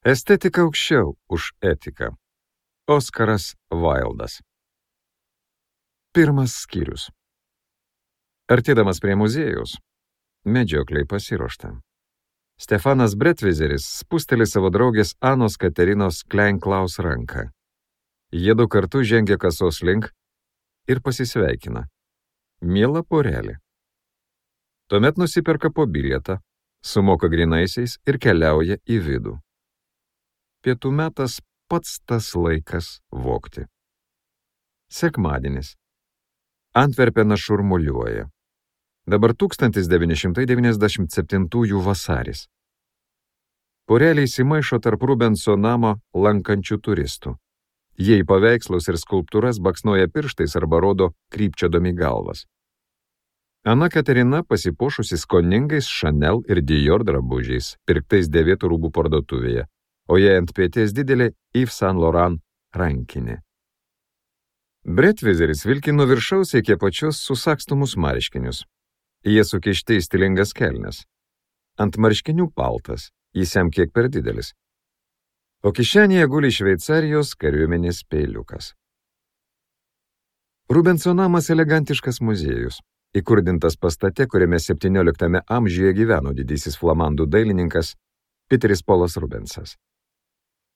Estetika aukščiau už etiką. Oskaras Vaildas. Pirmas skyrius. Artėdamas prie muziejaus, medžioklei pasiruošta. Stefanas Bretvizeris spusteli savo draugės Anos Katerinos Klein-Klaus ranką. Jiedu kartu žengia kasos link ir pasisveikina. Miela porelė. Tuomet nusiperka po bilietą, sumoka grynaisiais ir keliauja į vidų. Pietų metas pats tas laikas vogti. Sekmadienis. Antverpenas šurmuliuoja. Dabar 1997 vasaris. Porelė įsimaišo tarp Rubenso namo lankančių turistų. Jie į paveikslus ir skulptūras baksnoja pirštais arba rodo krypčiodami galvas. Ana Katerina pasipuošusi skoningais Chanel ir Dior drabužiais, pirktais dėvėtų rūbų parduotuvėje, o jai ant pėties didelė Yves Saint Laurent rankinė. Bretvizeris vilki nuo viršaus iki apačios susagstomus marškinius. Jie sukišti į stilingas kelnes. Ant marškinių paltas, jis jam kiek per didelis. O kišenėje guli Šveicarijos kariuomenės peiliukas. Rubenso namas elegantiškas muziejus, įkurdintas pastate, kuriame 17 amžiuje gyveno didysis flamandų dailininkas Piteris Polas Rubensas.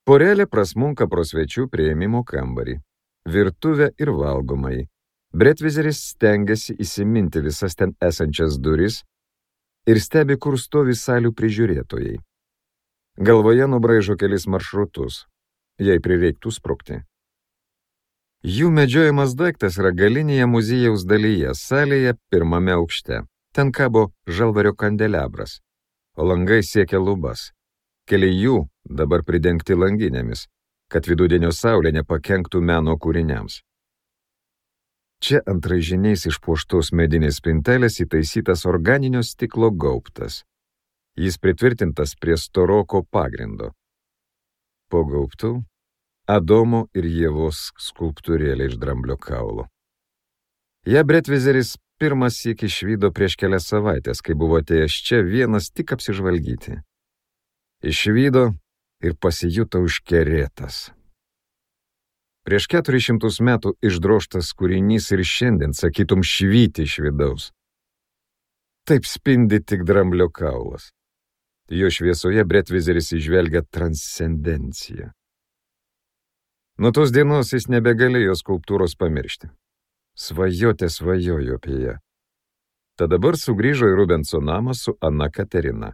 Porelė prasmunka pro svečių priėmimo kambarį, virtuvę ir valgomąjį. Bretvizeris stengiasi įsiminti visas ten esančias duris ir stebi, kur stovi salių prižiūrėtojai. Galvoje nubraižo kelis maršrutus, jei prireiktų sprukti. Jų medžiojamas daiktas yra galinėje muziejaus dalyje, salėje pirmame aukšte. Ten kabo žalvario kandelabras, o langai siekia lubas. Keli jų dabar pridengti langinėmis, kad vidudienio saulė nepakenktų meno kūriniams. Čia ant raižiniais išpuoštos medinės spintelės įtaisytas organinio stiklo gaubtas. Jis pritvirtintas prie storoko pagrindo. Po gaubtų Adomo ir Ievos skulptūrėlė iš dramblio kaulo. Ja Bretvizeris pirmas syk išvydo prieš kelias savaitės, kai buvo atėjęs čia vienas tik apsižvalgyti. Išvydo ir pasijuto užkerėtas. Prieš 400 metų išdroštas kūrinys ir šiandien, sakytum, švyti iš vidaus. Taip spindi tik dramblio kaulas. Jo šviesoje Bretvizeris įžvelgia transcendenciją. Nuo tos dienos jis nebegalėjo skulptūros pamiršti. Svajotė svajojo apie ją. Tad dabar sugrįžo į Rubenso namą su Ana Katerina.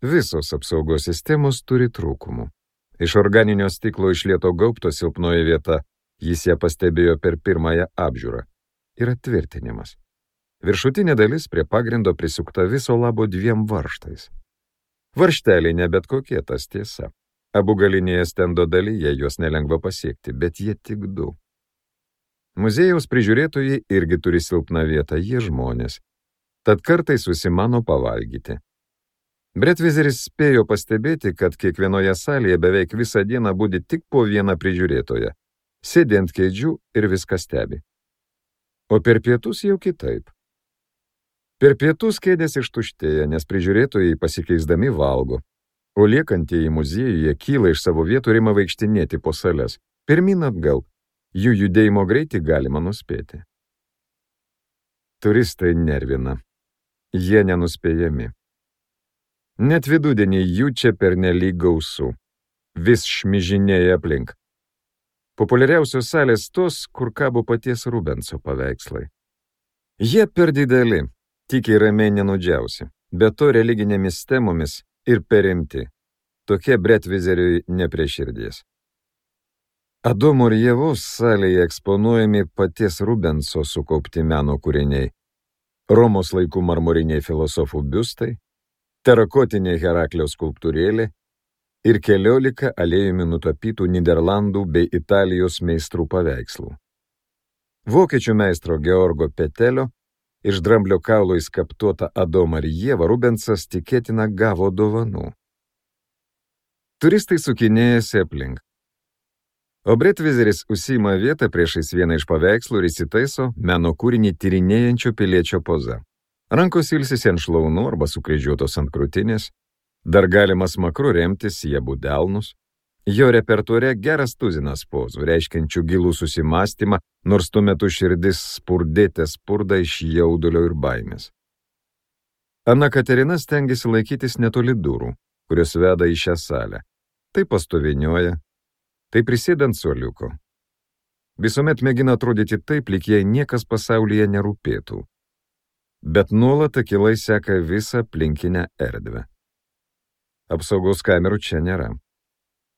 Visos apsaugos sistemos turi trūkumų. Iš organinio stiklo išlieto gaubto silpnoji vieta, jis ją pastebėjo per pirmąją apžiūrą, yra tvirtinimas. Viršutinė dalis prie pagrindo prisukta viso labo 2 varžtais. Varžteliai ne bet kokie, tas tiesa. Abu galinėje stendo dalyje juos nelengva pasiekti, bet jie tik 2. Muziejaus prižiūrėtojai irgi turi silpną vietą, jie žmonės. Tad kartais susimano pavalgyti. Bretvizeris spėjo pastebėti, kad kiekvienoje salėje beveik visą dieną budi tik po vieną prižiūrėtoją, sėdi ant kėdžių ir viską stebi. O per pietus jau kitaip. Per pietus kėdės ištuštėja, nes prižiūrėtojai pasikeisdami valgo, o liekantieji muziejuje kyla iš savo vietų ir ima vaikštinėti po sales, pirmyn atgal, jų judėjimo greitį galima nuspėti. Turistai nervina, jie nenuspėjami. Net vidudienį jų čia pernelyg gausu, vis šmižinėja aplink. Populiariausios salės tos, kur kabo paties Rubenso paveikslai. Jie per dideli, tikiai ramiai nenudžiausi, bet to religinėmis temomis ir perimti. Tokie Bretvizeriui ne prie širdies. Adomo ir Ievos salėje eksponuojami paties Rubenso sukaupti meno kūriniai. Romos laikų marmoriniai filosofų biustai, terakotiniai Heraklio skulptūrėlė ir 14 aliejumi nutapytų Niderlandų bei Italijos meistrų paveikslų. Vokiečių meistro Georgo Petelio iš dramblio kaulo įskaptuotą Adomą ir Ievą Rubensas tikėtina gavo dovanų. Turistai sukinėjasi aplink. O Bretvizeris užsiima vietą priešais vieną iš paveikslų ir įsitaiso meno kūrinį tyrinėjančio piliečio poza. Rankos ilsisi ant šlaunų arba sukryžiuotos ant krūtinės, Dar galima smakru remtis į abu delnus. Jo repertuare geras tuzinas pozų, reiškiančių gilų susimastymą, nors tuo metu širdis spurdėte spurda iš jaudulio ir baimės. Ana Katerina stengiasi laikytis netoli durų, kurios veda į šią salę. Tai pastovinioja, tai prisėdant suoliuko. Visuomet mėgina atrodyti taip, lyg jai niekas pasaulyje nerūpėtų. Bet nuolat akylai seka visą aplinkinę erdvę. Apsaugos kamerų čia nėra.